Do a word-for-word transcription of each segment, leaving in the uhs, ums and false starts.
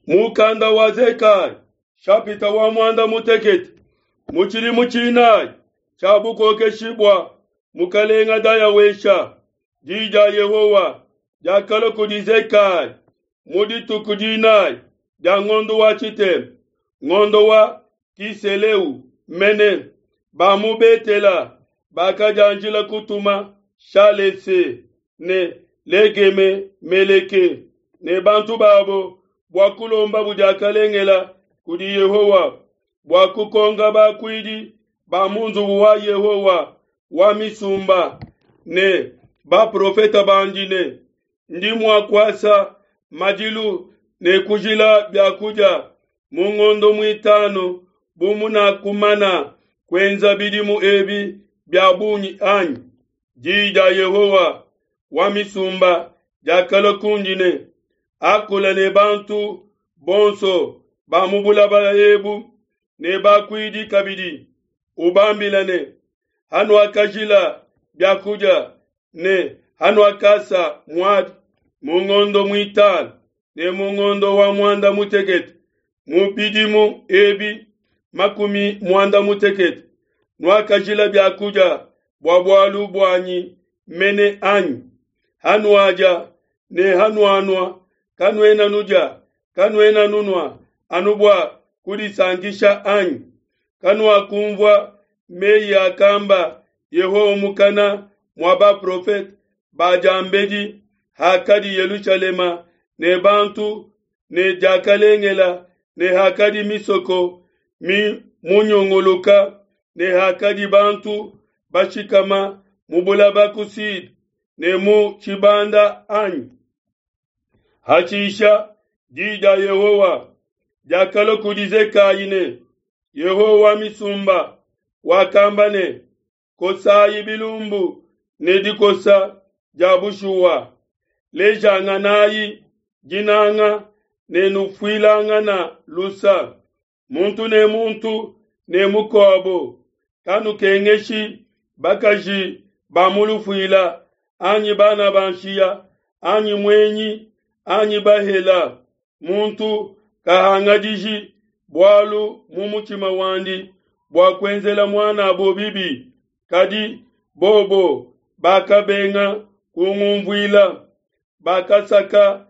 Mukanda wa Zekaya shapita wa muanda mutekete mu tshidimu tshinayi tshia bukokeshi bua mukalenga Dayawesha, di dia Yehowa diakalua kudi Zekaya mu dituku dinayi dia ngondo wa tshitema, ngondo wa Kiseleu mene. Ba mu Betela bakadianjila kutuma Shalese ne Legeme Meleke ne bantu babo bua kulombabu diakalengela kudi Yehowa bua kukonka bakuidi ba mu nzubu wa Yehowa wa misumba ne baprofeta bandi ne, ndi mua kuasa madilu ne kujila bia kudia mu ngondo muitanu bu munakumana kuenza bidimu ebi bia bungi anyi? Di dia Yehowa wa misumba diakalua kundi ne, akula ne bantu bonso ba mu bulaba ebu ne bakuidi kabidi, ubambila ne, hanuakajila bia kudia ne hanuakasa muadi mu ngondo muitanu ne mu ngondo wa muanda mutekete mu bidimu ebi makumi muanda mutekete, nuakajila bia kudia bua bualu buanyi mene anyi? Hanuadia ne hanuanua, kanuena nudia, kanuena nunua anu bua kudisankisha anyi? Kanuakumvua meyi akamba Yehowa mukana mua baprofete ba diambedi hakadi Yelushalema ne bantu ne diakalengela ne hakadi misoko mimunyunguluka ne hakadi bantu bashikama mu bulaba ku Sud ne mu tshibanda anyi? Hashisha di dia Yehowa diakalua kudi Zekaya ne, Yehowa wa misumba wakamba ne, kosayi bilumbu ne dikosa dia bushuwa, lejanganayi dinanga ne nufuilangana lusa, muntu ne muntu ne mukuabo. Kanukengeshi bakaji ba mu lufuila anyi bana ba nshiya anyi muenyi anyi bahela. Muntu kahangadiji bualu mu mutshima wandi bua kuenzela muanabo bibi. Kadi bobo bakabenga kungunvuila, bakasaka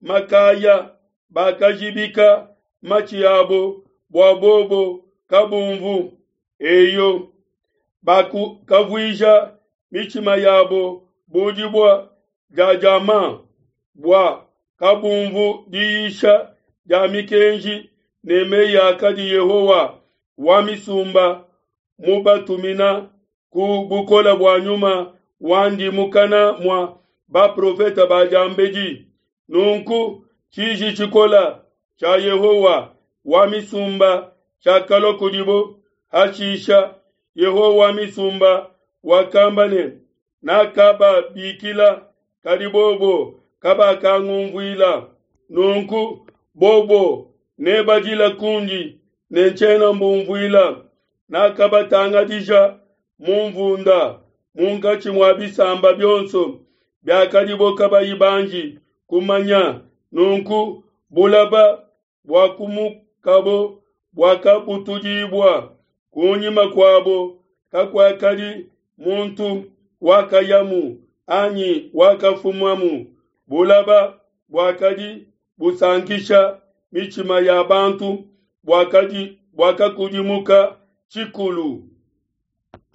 makaya, bakajibika matshi abo bua bobo kabumvu. Eyo, bakavuija mitshima yabo bu dibue dia diamant bua kabumvu diyisha dia mikenji ne meyi akadi Yehowa wa misumba mubatumina ku bukole bua nyuma wandi mukana mua baprofeta ba diambedi. Nunku tshiji tshikola tshia Yehowa wa misumba tshiakalua kudibo. Hashisha Yehowa wa misumba wakamba ne, nakababikila, kadi bobo kabakangunvuila. Nunku bobo nebadila kundi ne ntshiena mbunvuila. Nakabatangadija mu nvunda munkatshi mua bisamba bionso biakadibo kabayi banji kumanya. Nunku bulaba buakumukabo buakabutudibua kunyima kuabo, kakuakadi muntu wakayamu anyi wakafumamu. Bulaba buakadi busankisha mitshima ya bantu buakadi buakakudimuka tshikulu.